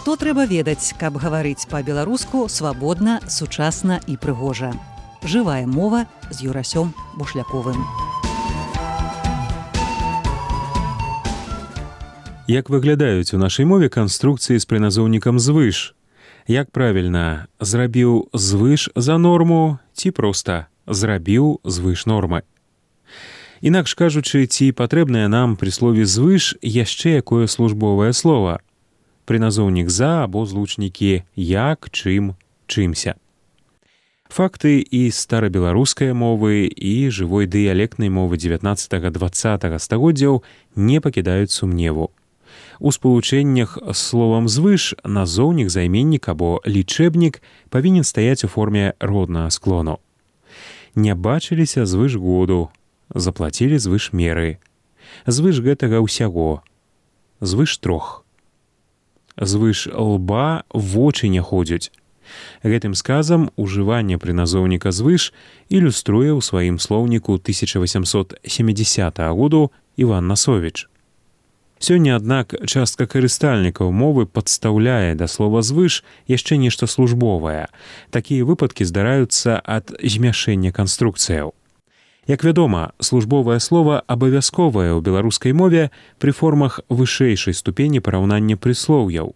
Што трэба ведаць, каб гаварыць па-беларуску свабодна, сучасна і прыгожа. Жывая мова з Юрасём Бушляковым. Як выглядаюць у нашай мове канструкцыі з прыназоўнікам звыш? Як правільна, зрабіў звыш за норму ці проста зрабіў звыш нормы? Інакш кажучы, ці патрэбнае нам пры слове звыш яшчэ якое службовае слова? Прыназоўнік за або злучнікі як, чым, чымся. Факты і старабеларускай мовы, і жывой дыялектнай мовы 19-20 стагоддзяў не пакідаюць сумневу. У спалучэннях з словам звыш назоўнік, займеннік або лічэбнік павінен стаяць у форме роднага склону. Не бачыліся звыш году, заплацілі звыш меры. Звыш гэтага ўсяго. Звыш трох. Звыш лба вочы не ходзяць. Гэтым сказам ужыванне прыназоўніка звыш ілюструе ў сваім слоўніку 1870 году Іван Насовіч. Сёння, аднак, частка карыстальнікаў мовы падстаўляе да слова звыш яшчэ нешта службовае. Такія выпадкі здараюцца ад змяшэння канструкцыяў. Як вядома, службовае слова абавязковае ў беларускай мове пры формах вышэйшай ступені параўнання прыслоўяў.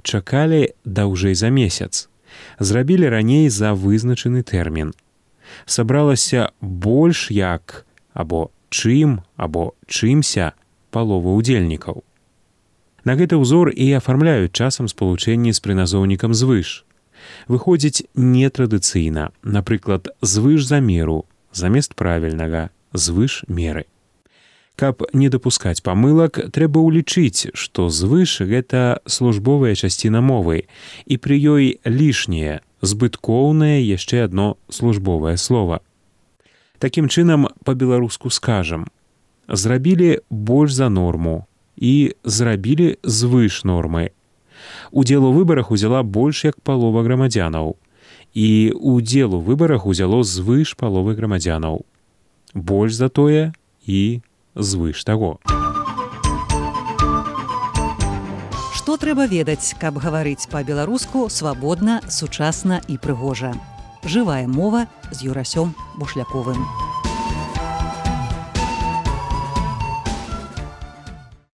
Чакалі даўжэй за месяц. Зрабілі раней за вызначаны тэрмін. Сабралася больш як, або чым, або чымся палова ўдзельнікаў. На гэты ўзор і афармляюць часам спалучэнні з прыназоўнікам звыш. Выходзіць нетрадыцыйна, напрыклад, звыш за меру, замест правільнага звыш меры. Каб не дапускаць памылак, трэба ўлічыць, што звыш гэта службовая часціна мовы, і пры ёй лішняе, збыткоўнае яшчэ адно службовае слова. Такім чынам, па-беларуску скажам: зрабілі больш за норму і зрабілі звыш нормы. Удзел у выбарах узяла больш як палова грамадзянаў. І ўдзел у выбарах узяло звыш паловы грамадзянаў. Больш за тое і звыш таго. Што трэба ведаць, каб гаварыць па-беларуску свабодна, сучасна і прыгожа. Жывая мова з Юрасём Бушляковым.